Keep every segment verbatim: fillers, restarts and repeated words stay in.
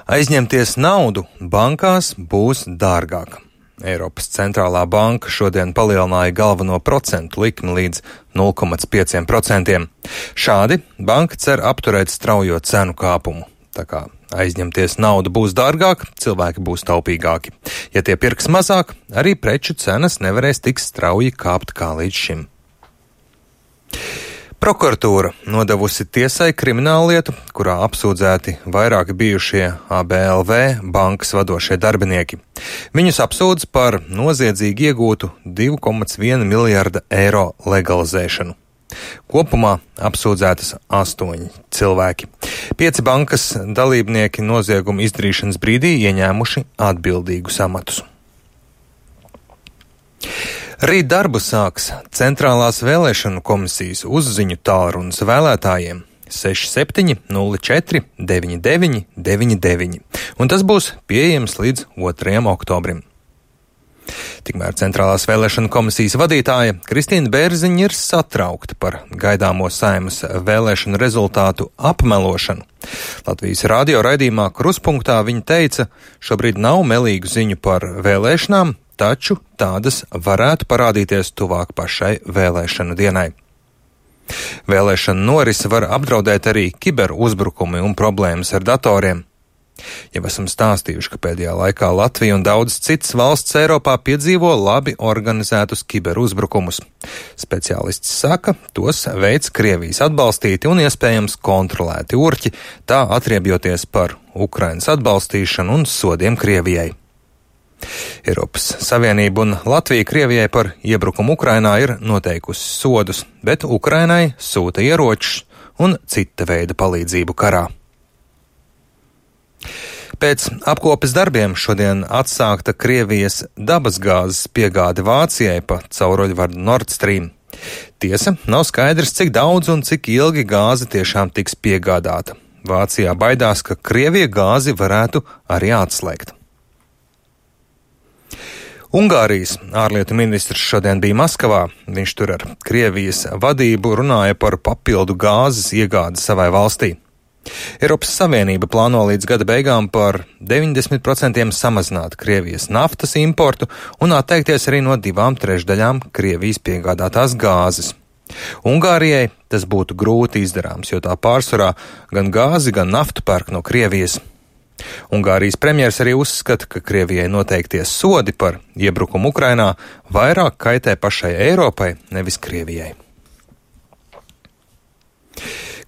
Aizņemties naudu bankās būs dārgāk. Eiropas centrālā banka šodien palielināja galveno procentu likmi līdz nulle komats pieci procenti. Šādi banka cer apturēt straujo cenu kāpumu. Tā kā aizņemties naudu būs dārgāk, cilvēki būs taupīgāki. Ja tie pirks mazāk, arī preču cenas nevarēs tik strauji kāpt kā līdz šim. Prokuratūra nodevusi tiesai krimināllietu, kurā apsūdzēti vairāki bijušie A B L V bankas vadošie darbinieki. Viņus apsūdz par noziedzīgi iegūtu divu komats vienu miljarda eiro legalizēšanu. Kopumā apsūdzētas astoņi cilvēki. Pieci bankas dalībnieki nozieguma izdarīšanas brīdī ieņēmuši atbildīgus amatus. Rīt darbu sāks Centrālās vēlēšanu komisijas uzziņu tālrunis vēlētājiem seši septiņi nulle četri deviņi deviņi deviņi deviņi, un tas būs pieejams līdz otrajam oktobrim. Tikmēr Centrālās vēlēšanu komisijas vadītāja Kristīna Bērziņa ir satraukta par gaidāmo Saeimas vēlēšanu rezultātu apmelošanu. Latvijas radio raidījumā Kruspunktā viņa teica, šobrīd nav melīgu ziņu par vēlēšanām, taču tādas varētu parādīties tuvāk pašai vēlēšanu dienai. Vēlēšana norisi var apdraudēt arī kiberuzbrukumi un problēmas ar datoriem. Jau esam stāstījuši, ka pēdējā laikā Latvija un daudzas citas valsts Eiropā piedzīvo labi organizētus kiberuzbrukumus. Speciālists saka, tos veids Krievijas atbalstīti un iespējams kontrolēti urķi, tā atriebjoties par Ukrainas atbalstīšanu un sodiem Krievijai. Eiropas Savienība un Latvija Krievijai par iebrukumu Ukrainā ir noteikusi sodus, bet Ukrainai sūta ieročus un cita veida palīdzību karā. Pēc apkopes darbiem šodien atsākta Krievijas dabasgāzes piegāde Vācijai pa cauruļvadu Nord Stream. Tiesa, nav skaidrs, cik daudz un cik ilgi gāze tiešām tiks piegādāta. Vācijā baidās, ka Krievija gāzi varētu arī atslēgt. Ungārijas ārlietu ministrs šodien bija Maskavā. Viņš tur ar Krievijas vadību runāja par papildu gāzes iegādi savai valstī. Eiropas Savienība plāno līdz gada beigām par deviņdesmit procentiem samazināt Krievijas naftas importu un atteikties arī no divām trešdaļām Krievijas piegādātās gāzes. Ungārijai tas būtu grūti izdarāms, jo tā pārsvarā gan gāzi, gan naftu pērk no Krievijas. Ungārijas premjers arī uzskata, ka Krievijai noteiktie sodi par iebrukumu Ukrainā vairāk kaitē pašai Eiropai, nevis Krievijai.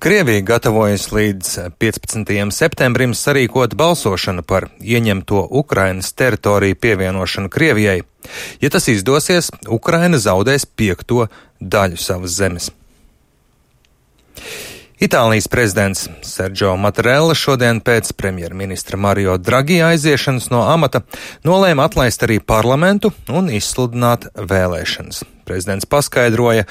Krievija gatavojas līdz piecpadsmitajam septembrim sarīkot balsošanu par ieņemto Ukrainas teritoriju pievienošanu Krievijai. Ja tas izdosies, Ukraina zaudēs piekto daļu savas zemes. Itālijas prezidents Sergio Mattarella šodien pēc premjerministra Mario Draghi aiziešanas no amata nolēma atlaist arī parlamentu un izsludināt vēlēšanas. Prezidents paskaidroja,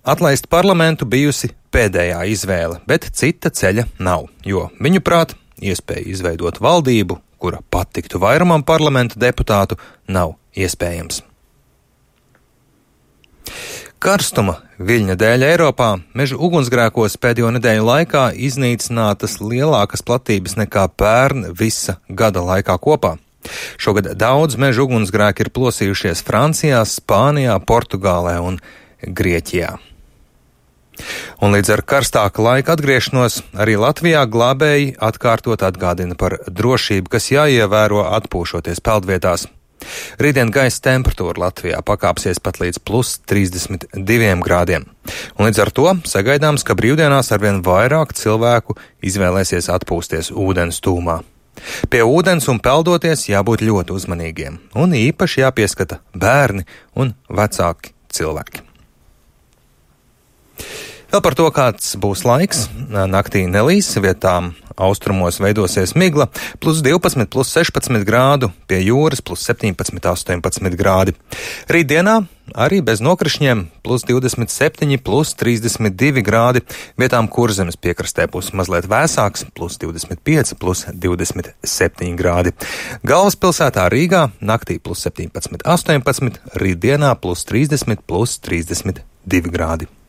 atlaist parlamentu bijusi pēdējā izvēle, bet cita ceļa nav, jo viņuprāt iespēja izveidot valdību, kura patiktu vairumam parlamenta deputātu, nav iespējams. Karstuma viļņa dēļ Eiropā meža ugunsgrēkos pēdējo nedēļu laikā iznīcinātas lielākas platības nekā pērn visa gada laikā kopā. Šogad daudz meža ugunsgrēki ir plosījušies Francijā, Spānijā, Portugālē un Grieķijā. Un līdz ar karstāka laika atgriešanos arī Latvijā glābēji atkārtot atgādina par drošību, kas jāievēro atpūšoties peldvietās. Rītdien gaisa temperatūra Latvijā pakāpsies pat līdz plus trīsdesmit diviem grādiem. Un līdz ar to sagaidāms, ka brīvdienās arvien vairāk cilvēku izvēlēsies atpūsties ūdens tūmā. Pie ūdens un peldoties jābūt ļoti uzmanīgiem, un īpaši jāpieskata bērni un vecāki cilvēki. Vēl par to, kāds būs laiks. Naktī nelīs, vietām austrumos veidosies migla, plus divpadsmit, plus sešpadsmit grādu, pie jūras plus septiņpadsmit, astoņpadsmit grādi. Rītdienā arī bez nokrišņiem plus divdesmit septiņi, plus trīsdesmit divi grādi, vietām Kurzemes piekrastē būs mazliet vēsāks, plus divdesmit pieci, plus divdesmit septiņi grādi. Galvaspilsētā Rīgā naktī plus septiņpadsmit, astoņpadsmit, rītdienā plus trīsdesmit, plus trīsdesmit divi grādi.